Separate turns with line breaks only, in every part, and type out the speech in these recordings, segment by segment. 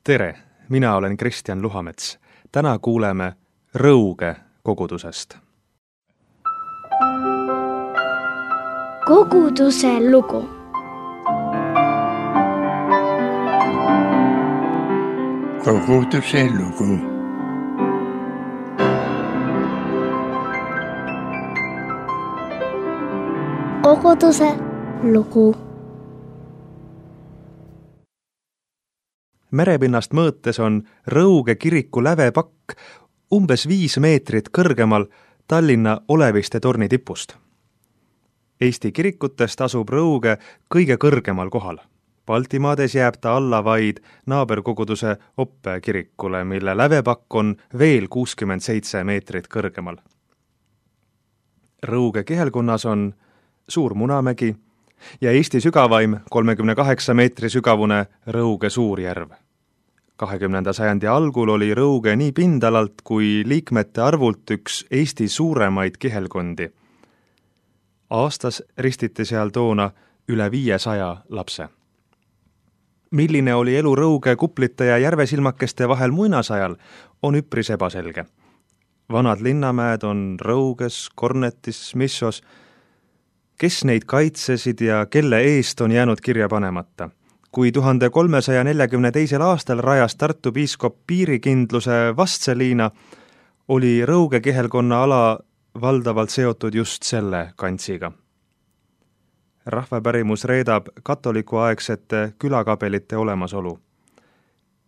Tere, mina olen Kristjan Luhamets. Täna kuuleme Rõuge kogudusest.
Koguduse lugu.
Koguduse lugu.
Koguduse lugu.
Merepinnast mõõtes on Rõuge kiriku lävepakk umbes 5 meetrit kõrgemal Tallinna Oleviste torni tipust. Eesti kirikutest asub Rõuge kõige kõrgemal kohal. Baltimaades jääb ta alla vaid naaberkoguduse Oppe kirikule, mille lävepakk on veel 67 meetrit kõrgemal. Rõuge kihelkonnas on Suur Munamägi ja Eesti sügavaim 38 meetri sügavune Rõuge Suurjärv. 20. sajandi algul oli Rõuge nii pindalalt kui liikmete arvult üks Eesti suuremaid kihelkondi. Aastas ristiti seal toona üle 500 lapse. Milline oli elu Rõuge kuplite ja järvesilmakeste vahel muinasajal, on üpris ebaselge. Vanad linnamäed on Rõuges, Kornetis, Missos. Kes neid kaitsesid ja kelle eest on jäänud kirja panemata? Kui 1342. aastal rajas Tartu piiskop piirikindluse Vastseliina, oli Rõuge kihelkonna ala valdavalt seotud just selle kantsiga. Rahvapärimus reedab katolikuaegsete külakabelite olemasolu.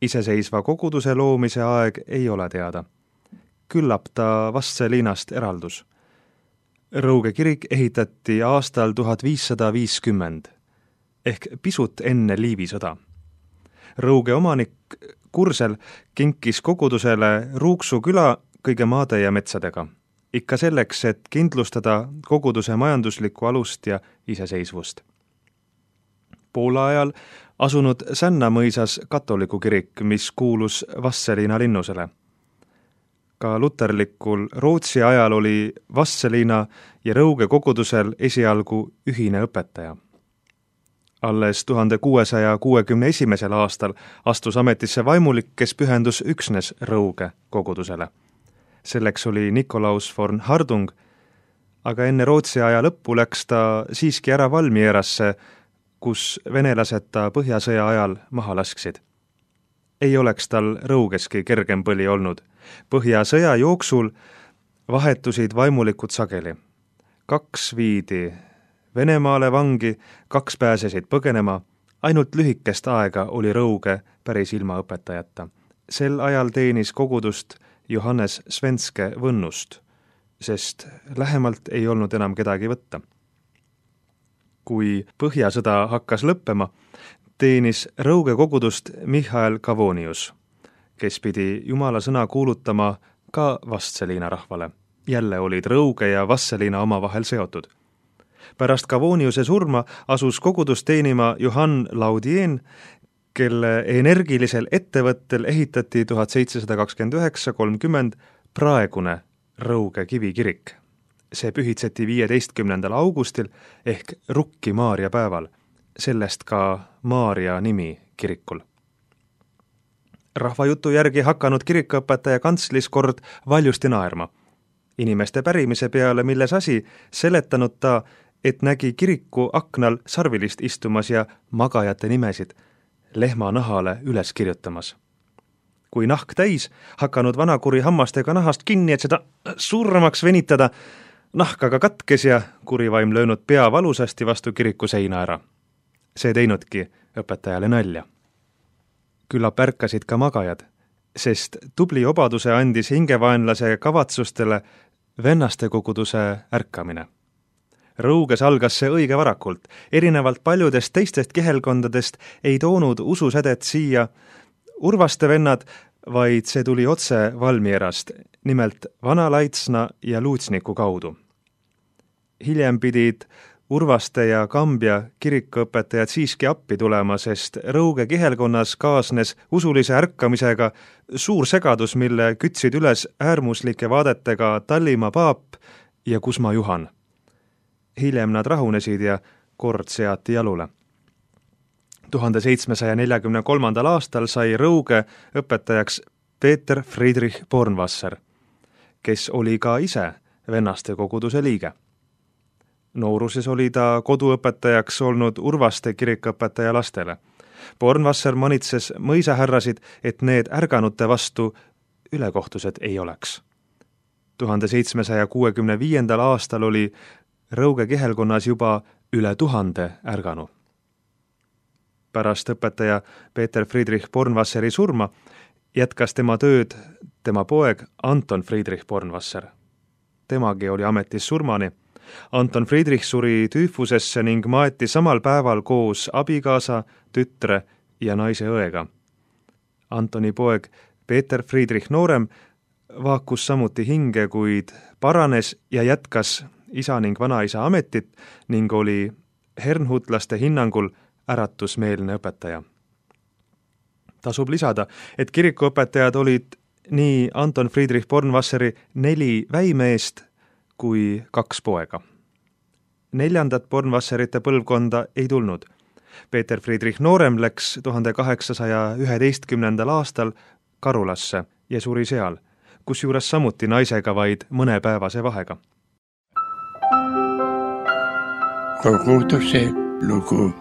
Iseseisva koguduse loomise aeg ei ole teada. Küllap ta Vastseliinast eraldus. Rõuge kirik ehitati aastal 1550, ehk pisut enne Liivi sõda. Rõuge omanik Kursel kinkis kogudusele Ruuksu küla kõige maade ja metsadega, ikka selleks, et kindlustada koguduse majanduslikku alust ja iseseisvust. Poola ajal asunud Sänna mõisas katoliku kirik, mis kuulus Vastseliina linnusele. Ka luterlikul Rootsi ajal oli Vastseliina ja Rõuge kogudusel esialgu ühine õpetaja. Alles 1661. aastal astus ametisse vaimulik, kes pühendus üksnes Rõuge kogudusele. Selleks oli Nikolaus von Hardung, aga enne Rootsi aja lõppu läks ta siiski ära Valmierasse, kus venelased ta Põhjasõja ajal maha lasksid. Ei oleks tal Rõugeski kergem põli olnud. Põhjasõja jooksul vahetusid vaimulikud sageli. 2 viidi Venemaale vangi, 2 pääsesid põgenema, ainult lühikest aega oli Rõuge päris ilma õpetajata. Sel ajal teenis kogudust Johannes Svenske Võnnust, sest lähemalt ei olnud enam kedagi võtta. Kui Põhjasõda hakkas lõppema, teenis Rõuge kogudust Michael Cavonius, kes pidi Jumala sõna kuulutama ka Vastseliina rahvale. Jälle olid Rõuge ja Vastseliina omavahel seotud. Pärast Cavoniuse surma asus kogudust teenima Johann Laudien, kelle energilisel ettevõttel ehitati 1729–30 praegune Rõuge kivikirik. See pühitseti 15. augustil ehk Rukki Maaria päeval, sellest ka Maaria nimi kirikul. Rahvajutu järgi hakanud kirikuõpetaja kantslis kord valjusti naerma. Inimeste pärimise peale, milles asi, seletanud ta, et nägi kiriku aknal sarvilist istumas ja magajate nimesid lehma nahale üles kirjutamas. Kui nahk täis, hakanud vanakuri hammastega nahast kinni, et seda suuremaks venitada, nahk aga katkes ja kurivaim löönud pea valusasti vastu kiriku seina ära. See teinudki õpetajale nalja. Küllap ärkasid ka magajad, sest tubli obaduse andis hingevaenlase kavatsustele vennaste koguduse ärkamine. Rõuges algas see õige varakult. Erinevalt paljudest teistest kihelkondadest ei toonud ususädet siia Urvaste vennad, vaid see tuli otse Valmierast, nimelt Vana-Laitsna ja Luutsniku kaudu. Hiljem pidid Urvaste ja Kambja kirikuõpetajad siiski appi tulema, sest Rõuge kihelkonnas kaasnes usulise ärkamisega suur segadus, mille kütsid üles äärmuslike vaadetega Tallimaa paap ja Kusma Juhan. Hiljem nad rahunesid ja kord seati jalule. 1743. aastal sai Rõuge õpetajaks Peeter Friedrich Bornwasser, kes oli ka ise vennaste koguduse liige. Nooruses oli ta koduõpetajaks olnud Urvaste kirikuõpetaja lastele. Bornwasser manitses mõisahärrasid, et need ärganute vastu ülekohtused ei oleks. 1765. aastal oli Rõuge kihelkonnas juba üle 1000 ärganu. Pärast õpetaja Peeter Friedrich Bornwasseri surma jätkas tema tööd tema poeg Anton Friedrich Bornwasser. Temagi oli ametis surmani. Anton Friedrich suri tüüfusesse ning maeti samal päeval koos abikaasa, tütre ja naise õega. Antoni poeg Peeter Friedrich Noorem vaakus samuti hinge, kuid paranes ja jätkas isa ning vanaisa ametit ning oli hernhutlaste hinnangul äratusmeelne õpetaja. Tasub lisada, et kirikuõpetajad olid nii Anton Friedrich Bornwasseri 4 väimeest kui 2 poega. 4. Bornwasserite põlvkonda ei tulnud. Peeter Friedrich Noorem läks 1811. aastal Karulasse ja suri seal, kusjuures samuti naisega vaid mõnepäevase vahega.
Koguduse lugu.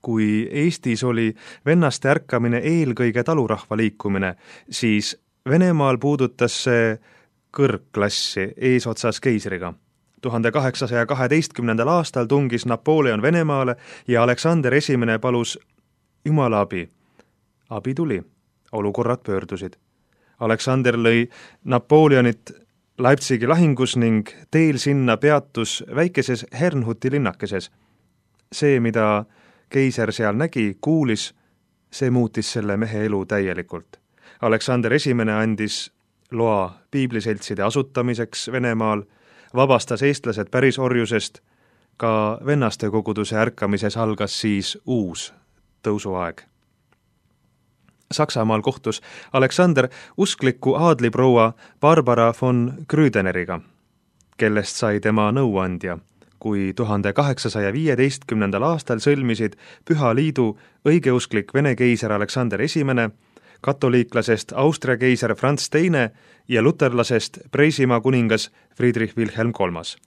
Kui Eestis oli vennaste ärkamine eelkõige talurahva liikumine, siis Venemaal puudutas see kõrgklassi eesotsas keisriga. 1812. aastal tungis Napoleon Venemaale ja Aleksander I palus Jumala abi. Abi tuli, olukorrad pöördusid. Aleksander lõi Napoleonit Leipzigi lahingus ning teel sinna peatus väikeses Hernhuti linnakeses. See, mida keiser seal nägi, kuulis, see muutis selle mehe elu täielikult. Aleksander I andis loa piibliseltside asutamiseks Venemaal, vabastas eestlased pärisorjusest, ka vennaste koguduse ärkamises algas siis uus tõusuaeg. Saksamaal kohtus Aleksander uskliku aadliproua Barbara von Grüdeneriga, kellest sai tema nõuandja, kui 1815. aastal sõlmisid Püha Liidu õigeusklik Vene keiser Aleksander I, katoliiklasest Austria keiser Franz II ja luterlasest Preisimaa kuningas Friedrich Wilhelm III.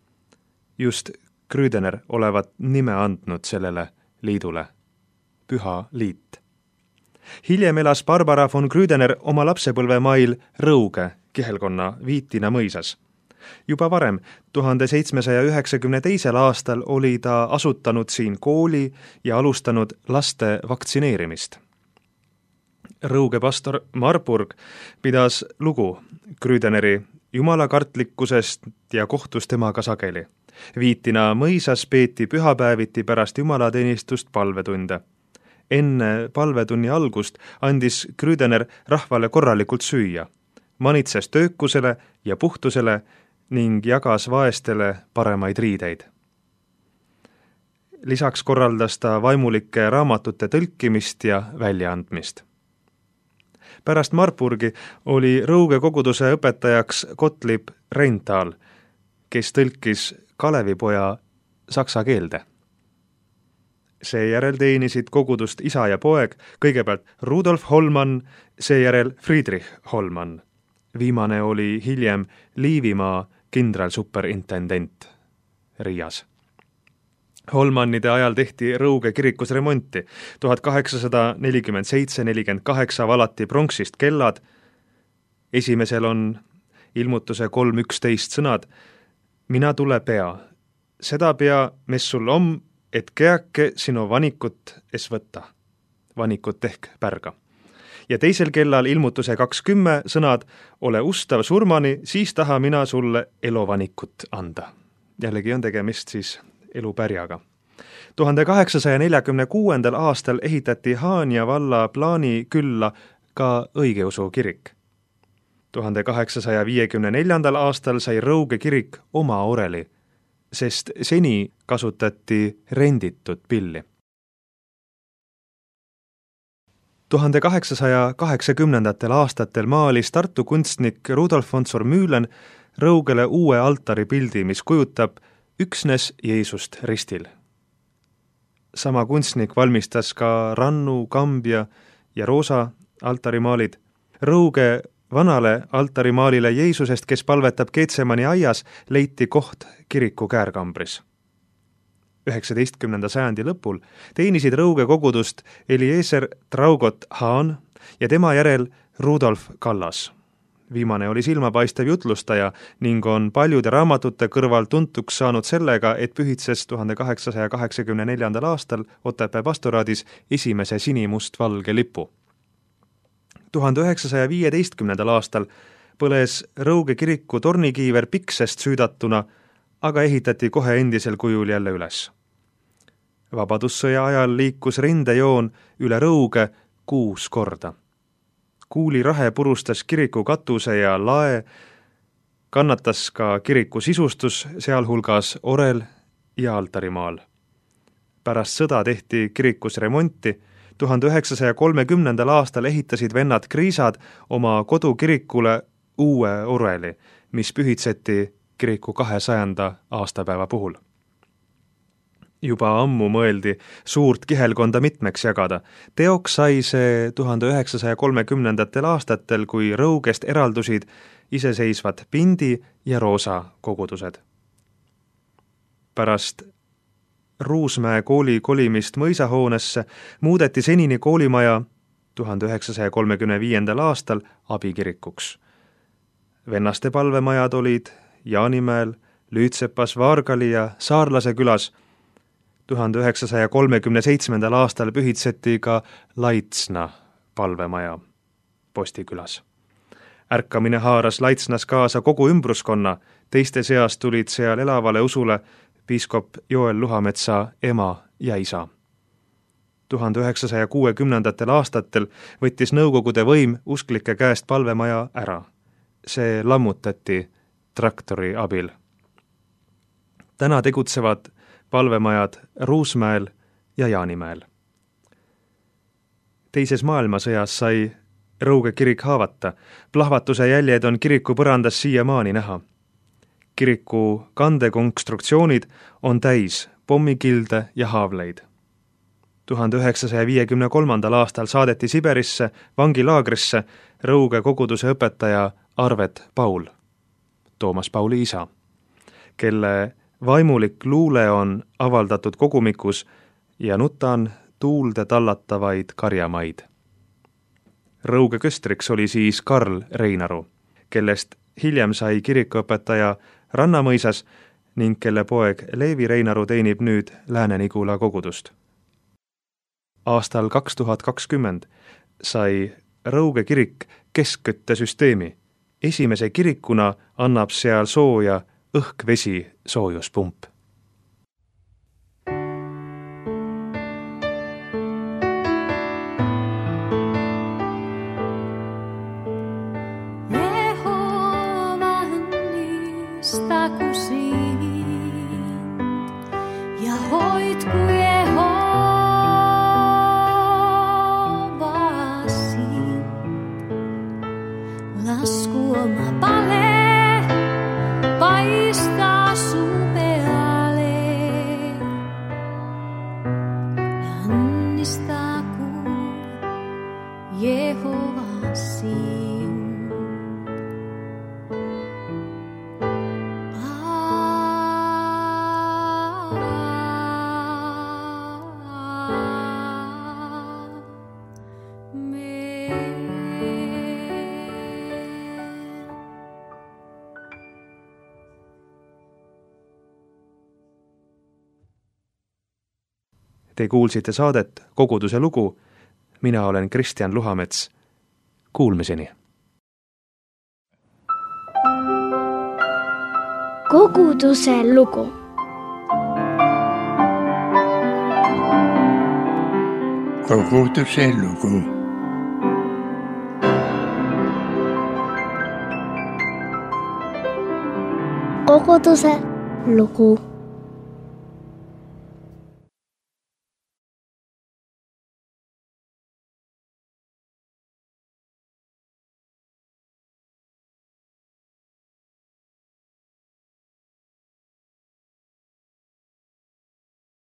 Just Grüdener olevat nime andnud sellele liidule, Püha Liit. Hiljem elas Barbara von Grüdener oma lapsepõlvemail Rõuge kihelkonna Viitina mõisas. Juba varem, 1792. aastal oli ta asutanud siin kooli ja alustanud laste vaktsineerimist. Rõuge pastor Marburg pidas lugu Grüdeneri jumalakartlikkusest ja kohtus temaga sageli. Viitina mõisas peeti pühapäeviti pärast jumalateenistust palvetunde. Enne palvetunni algust andis Grüdener rahvale korralikult süüa, manitses töökusele ja puhtusele ning jagas vaestele paremaid riideid. Lisaks korraldas ta vaimulike raamatute tõlkimist ja väljaandmist. Pärast Marburgi oli Rõuge koguduse õpetajaks Gottlieb Reinthal, kes tõlkis Kalevipoja saksa keelde. Seejärel teenisid kogudust isa ja poeg, kõigepealt Rudolf Hollmann, seejärel Friedrich Hollmann. Viimane oli hiljem Liivimaa kindralsuperintendent Riias. Hollmannide ajal tehti Rõuge kirikus remonti. 1847-48 valati pronksist kellad. Esimesel on ilmutuse 3.11 sõnad. Mina tule pea. Seda pea, mis sul om, et keake sinu vanikut es võtta. Vanikut ehk pärga. Ja teisel kellal ilmutuse 20 sõnad, ole ustav surmani, siis taha mina sulle elovanikut anda. Jällegi on tegemist siis elupärjaga. 1846. aastal ehitati Haanja valla plaani külla ka õigeusu kirik. 1854. aastal sai Rõuge kirik oma oreli, sest seni kasutati renditud pilli. 1880. aastatel maalis Tartu kunstnik Rudolf von Sormühlen rõugele uue altari pildi, mis kujutab üksnes Jeesust ristil. Sama kunstnik valmistas ka rannu, kambja ja roosa altarimaalid. Rõuge vanale altarimaalile Jeesusest, kes palvetab Getsemani aias, leiti koht kiriku käärkambris. 19. sajandi lõpul teenisid Rõuge kogudust Eliezer Traugot Haan ja tema järel Rudolf Kallas. Viimane oli silmapaistev jutlustaja ning on paljude raamatute kõrval tuntuks saanud sellega, et pühitses 1884. aastal Otepää pastoraadis esimese sinimustvalge lipu. 1915. aastal põles Rõuge kiriku tornikiiver piksest süüdatuna, aga ehitati kohe endisel kujul jälle üles. Vabadussõja ajal liikus rindejoon üle Rõuge 6 korda. Kuulirahe purustas kiriku katuse ja lae, kannatas ka kiriku sisustus, sealhulgas orel ja altarimaal. Pärast sõda tehti kirikus remonti. 1930. aastal ehitasid vennad Kriisad oma kodukirikule uue oreli, mis pühitseti kiriku 200. aastapäeva puhul. Juba ammu mõeldi suurt kihelkonda mitmeks jagada. Teoks sai see 1930. aastatel, kui Rõugest eraldusid iseseisvad Pindi ja Roosa kogudused. Pärast Ruusmäe kooli kolimist mõisahoonesse muudeti senini koolimaja 1935. aastal abikirikuks. Vennaste palvemajad olid Jaanimäel, Lüütsepas, Vaargali ja Saarlase külas. 1937. aastal pühitseti ka Laitsna palvemaja Postikülas. Ärkamine haaras Laitsnas kaasa kogu ümbruskonna, teiste seas tulid seal elavale usule piiskop Joel Luhametsa ema ja isa. 1960. aastatel võttis Nõukogude võim usklike käest palvemaja ära. See lammutati traktori abil. Täna tegutsevad palvemajad Ruusmäel ja Jaanimäel. Teises maailmasõjas sai Rõuge kirik haavata. Plahvatuse jäljed on kiriku põrandas siiamaani näha. Kiriku kandekonstruktsioonid on täis pommikilde ja haavleid. 1953. aastal saadeti Siberisse vangilaagrisse Rõuge koguduse õpetaja Arvet Paul, Toomas Pauli isa, kelle vaimulik luule on avaldatud kogumikus ja nutan tuulde tallatavaid karjamaid. Rõuge köstriks oli siis Karl Reinaru, kellest hiljem sai kirikuõpetaja Rannamõisas ning kelle poeg Leevi Reinaru teenib nüüd Lääne-Nigula kogudust. Aastal 2020 sai Rõuge kirik keskküttesüsteemi. Esimese kirikuna annab seal sooja õhk-vesi soojuspump.
Ja hoidku Jehovasi, lasku oma pale paistaa sun peale ja annistaku Jehovasi.
Te kuulsite saadet Koguduse lugu. Mina olen Kristjan Luhamets. Kuulmiseni.
Koguduse lugu.
Koguduse lugu.
Koguduse lugu.